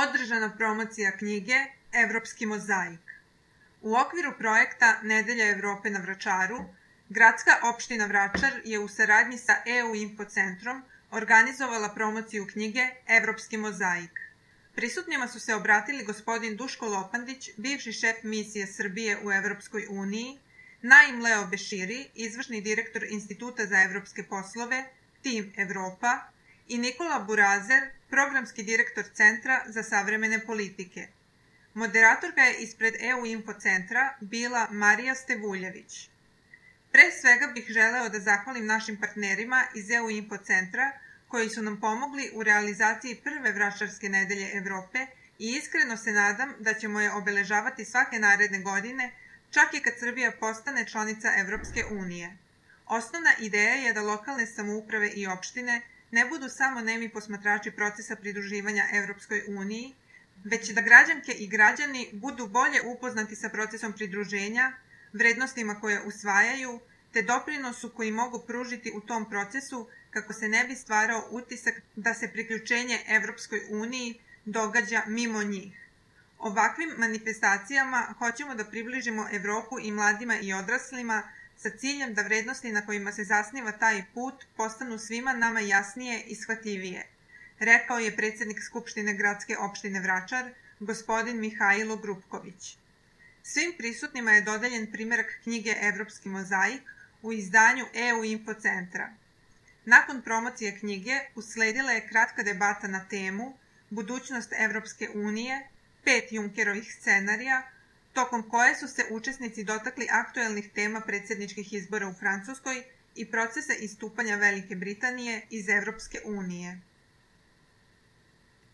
održana promocija knjige Evropski mozaik. U okviru projekta Nedelja Evrope na Vračaru, Gradska opština Vračar je u saradnji sa EU Info centrom organizovala promociju knjige Evropski mozaik. Prisutnima su se obratili gospodin Duško Lopandić, bivši šef misije Srbije u Evropskoj uniji, Naim Leo Beširi, izvršni direktor Instituta za evropske poslove, Tim Evropa, i Nikola Burazer, programski direktor Centra za savremene politike. Moderatorka je ispred EU Info centra bila Marija Stevuljević. Pre svega bih želeo da zahvalim našim partnerima iz EU Info centra koji su nam pomogli u realizaciji prve Vračarske nedelje Evrope i iskreno se nadam da ćemo je obeležavati svake naredne godine, čak i kad Srbija postane članica Evropske unije. Osnovna ideja je da lokalne samouprave i opštine ne budu samo nemi posmatrači procesa pridruživanja Evropskoj uniji, već da građanke i građani budu bolje upoznati sa procesom pridruženja, vrednostima koje usvajaju, te doprinosu koji mogu pružiti u tom procesu kako se ne bi stvarao utisak da se priključenje Evropskoj uniji događa mimo njih. Ovakvim manifestacijama hoćemo da približimo Evropu i mladima i odraslima sa ciljem da vrednosti na kojima se zasniva taj put postanu svima nama jasnije i shvatljivije, rekao je predsjednik Skupštine Gradske opštine Vračar, gospodin Mihajlo Grupković. Svim prisutnima je dodeljen primerak knjige Evropski mozaik u izdanju EU Info centra. Nakon promocije knjige usledila je kratka debata na temu Budućnost Evropske unije, 5 Junckerovih scenarija, tokom koje su se učesnici dotakli aktuelnih tema predsjedničkih izbora u Francuskoj i procesa istupanja Velike Britanije iz Evropske unije.